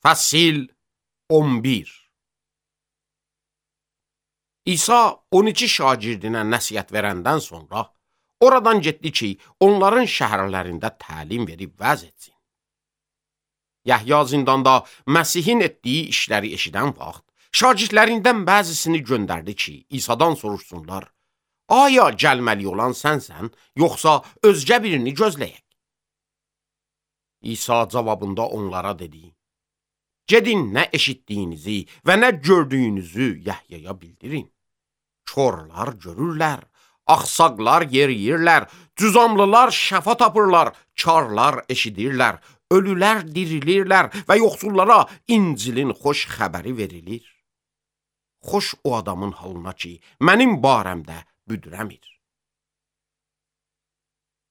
Fəsil 11. İsa 12 şagirdinə nəsihət verəndən sonra oradan getdi ki, onların şəhərlərində təlim verib vəz etsin. Yəhya zindanda Məsihin etdiyi işləri eşidən vaxt, şagirdlərindən bəzisini göndərdi ki, İsa'dan soruşsunlar, aya gəlməli olan sənsən, yoxsa özgə birini gözləyək? İsa cavabında onlara dedi, gedin nə eşitdiyinizi və nə gördüyünüzü Yəhyaya bildirin. Korlar görürlər, axsaqlar yeriyirlər, cüzamlılar şəfa tapırlar, karlar eşidirlər, ölülər dirilirlər və yoxsullara İncilin xoş xəbəri verilir. Xoş o adamın halına ki, mənim barəmdə büdürəmir.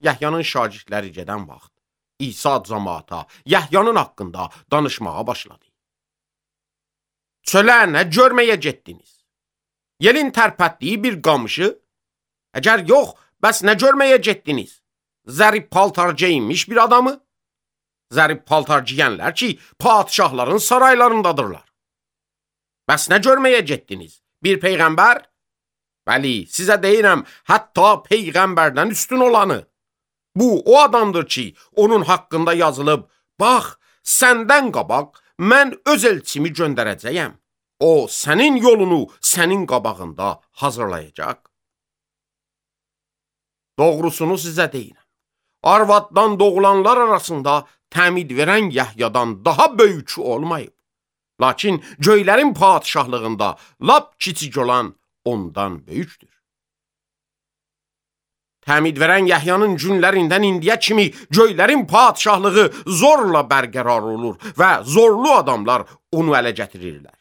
Yəhyanın şagirdləri gedən vaxt, İsa cəmaata Yəhyanın haqqında danışmağa başladı. Çölə nə görməyə getdiniz? Yelin tərpətdiyi bir qamışı? Əgər yox, bəs nə görməyə getdiniz? Zərif paltar geyinmiş bir adamı? Zərif paltar giyənlər ki, padişahların saraylarındadırlar. Bəs nə görməyə getdiniz? Bir peyğəmbər? Bəli, sizə deyirəm, hətta peyğəmbərdən üstün olanı. Bu, o adamdır ki, onun haqqında yazılıb, bax, səndən qabaq mən öz elçimi göndərəcəyəm. O, sənin yolunu sənin qabağında hazırlayacaq. Doğrusunu sizə deyirəm. Arvaddan doğulanlar arasında təmid verən Yəhyadan daha böyükü olmayıb. Lakin göylərin padişahlığında lap kiçik olan ondan böyükdür. Təmid verən Yəhyanın günlərindən indiyə kimi göylərin padişahlığı zorla bərqərar olur və zorlu adamlar onu ələ gətirirlər.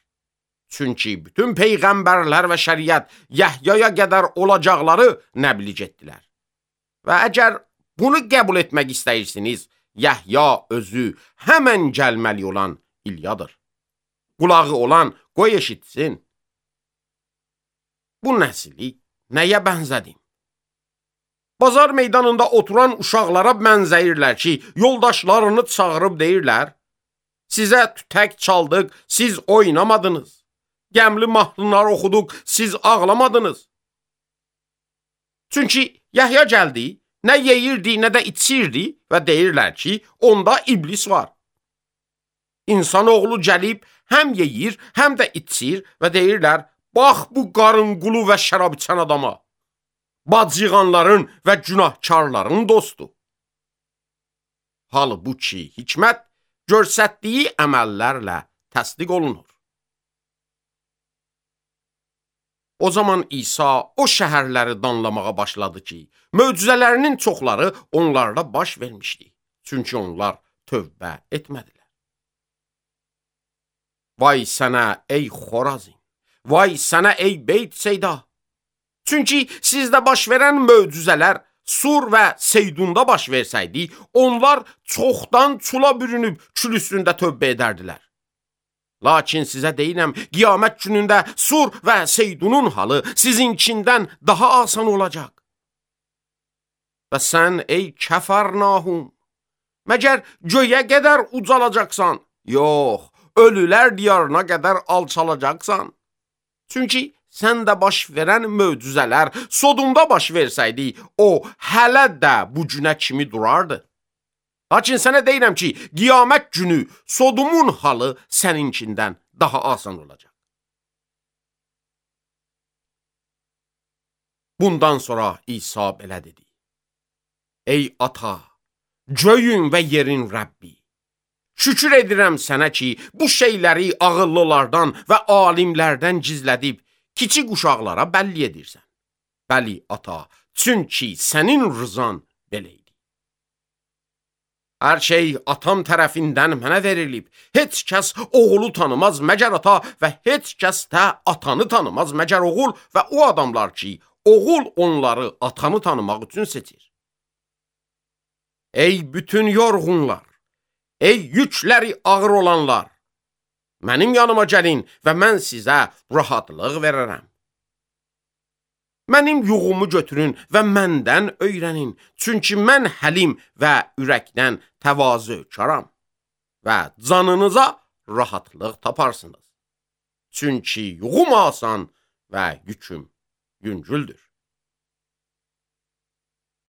Çünki bütün peyğəmbərlər və şəriət Yəhyaya qədər olacaqları nəbliğ etdilər. Və əgər bunu qəbul etmək istəyirsiniz, Yəhya özü həmən gəlməli olan İlyadır. Qulağı olan qoy eşitsin. Bu nəsli nəyə bənzədim? Bazar meydanında oturan uşaqlara bənzəyirlər ki, yoldaşlarını çağırıb deyirlər, sizə tütək çaldıq, siz oynamadınız. Gəmli mahnılar oxuduq, siz ağlamadınız. Çünki Yəhya gəldi, nə yeyirdi, nə də içirdi və deyirlər ki, onda iblis var. İnsanoğlu gəlib, həm yeyir, həm də içir və deyirlər, bax bu qarınqulu və şərab içən adama. Bacıqanların və günahkarların dostu. Halbuki hikmət göstərdiyi əməllərlə təsdiq olunur. O zaman İsa o şəhərləri danlamağa başladı ki, möcüzələrinin çoxları onlarda baş vermişdi. Çünki onlar tövbə etmədilər. Vay sənə ey Xorazin, vay sənə ey Beyt Seyda. Çünki sizdə baş verən möcüzələr Sur və Seydunda baş versəydi, onlar çoxdan çula bürünüb kül üstündə tövbə edərdilər. Lakin sizə deyirəm, qiyamət günündə Sur və Seydunun halı sizinkindən daha asan olacaq. Və sən ey Kəfərnahum, məgər göyə qədər ucalacaqsan? Yox, ölülər diyarına qədər alçalacaqsan. Çünki səndə baş verən möcüzələr Sodumda baş versəydi, o hələ də bu günə kimi durardı. Lakin sənə deyirəm ki, qiyamət günü Sodumun halı səninkindən daha asan olacaq. Bundan sonra İsa belə dedi. Ey ata, göyün və yerin Rəbbi, şükür edirəm sənə ki, bu şeyləri ağıllılardan və alimlərdən gizlədib, kiçik uşaqlara bəlli edirsən. Bəli, ata, çünki sənin rızan belə idi. Hər şey atam tərəfindən mənə verilib. Heç kəs oğulu tanımaz məgər ata və heç kəs də atanı tanımaz məgər oğul və o adamlar ki, oğul onları atanı tanımaq üçün seçir. Ey bütün yorğunlar, ey yükləri ağır olanlar, mənim yanıma gəlin və mən sizə rahatlıq verərəm. Mənim yuğumu götürün və məndən öyrənin, çünki mən həlim və ürəkdən təvazökaram və canınıza rahatlıq taparsınız. Çünki yuğum asan və yüküm yüngüldür.